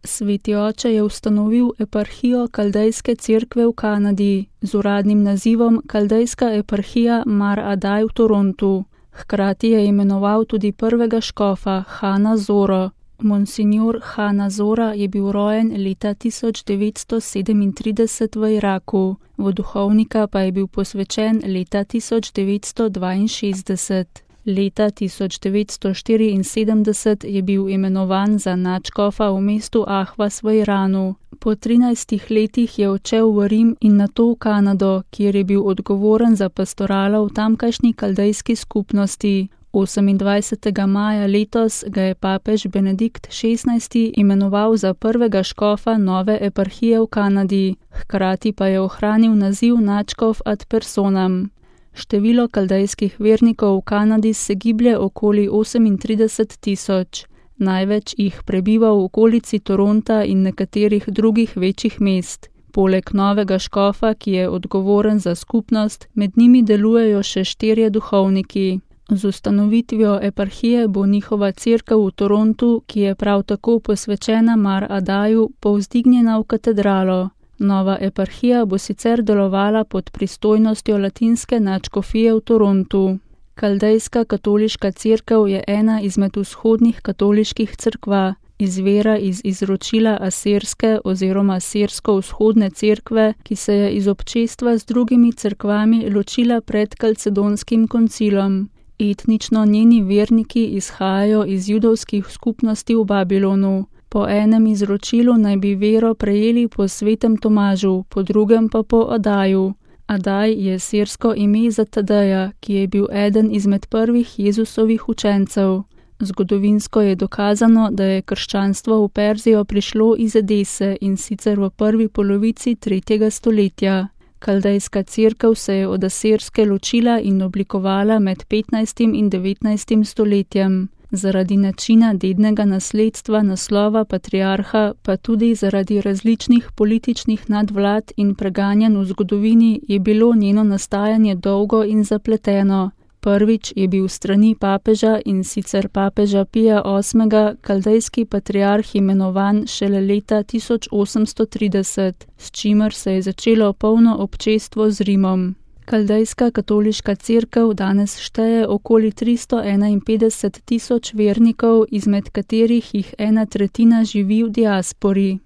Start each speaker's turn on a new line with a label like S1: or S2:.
S1: Sveti oče je ustanovil eparhijo Kaldejske cerkve v Kanadi z uradnim nazivom Kaldejska eparhija Mar Adaj v Torontu. Hkrati je imenoval tudi prvega škofa Hana Zoro. Monsignor Hana Zora je bil rojen leta 1937 v Iraku, v duhovnika pa je bil posvečen leta 1962. Leta 1974 je bil imenovan za nadškofa v mestu Ahvaz v Iranu. Po 13 letih je odšel v Rim in nato v Kanado, kjer je bil odgovoren za pastoralo v tamkajšnji kaldejski skupnosti. 28. maja letos ga je papež Benedikt XVI imenoval za prvega škofa nove eparhije v Kanadi, hkrati pa je ohranil naziv nadškof ad personam. Število kaldejskih vernikov v Kanadi se giblje okoli 38,000. Največ jih prebiva v okolici Toronta in nekaterih drugih večjih mest. Poleg novega škofa, ki je odgovoren za skupnost, med njimi delujejo še 4 duhovniki. Z ustanovitvijo eparhije bo njihova cerkev v Torontu, ki je prav tako posvečena Mar Adaju, povzdignjena v katedralo. Nova eparhija bo sicer delovala pod pristojnostjo latinske nadškofije v Torontu. Kaldejska katoliška cerkev je ena izmed vzhodnih katoliških cerkva, izvira iz izročila asirske oziroma sirsko-vzhodne cerkve, ki se je iz občestva z drugimi cerkvami ločila pred kalcedonskim koncilom. Etnično njeni verniki izhajajo iz judovskih skupnosti v Babilonu. Po enem izročilu naj bi vero prejeli po svetem Tomažu, po drugem pa po Adaju. Adaj je sirsko ime za Tadeja, ki je bil eden izmed prvih Jezusovih učencev. Zgodovinsko je dokazano, da je krščanstvo v Perzijo prišlo iz Edese in sicer v prvi polovici 3. stoletja. Kaldejska cerkev se je od asirske ločila in oblikovala med 15. in 19. stoletjem. Zaradi načina dednega nasledstva naslova patriarha, pa tudi zaradi različnih političnih nadvlad in preganjanj v zgodovini, je bilo njeno nastajanje dolgo in zapleteno. Prvič je bil strani papeža in sicer papeža Pija VIII. Kaldejski patriarh imenovan šele leta 1830, s čimer se je začelo polno občestvo z Rimom. Kaldejska katoliška cerkev danes šteje okoli 351,000 vernikov, izmed katerih jih 1/3 živi v diaspori.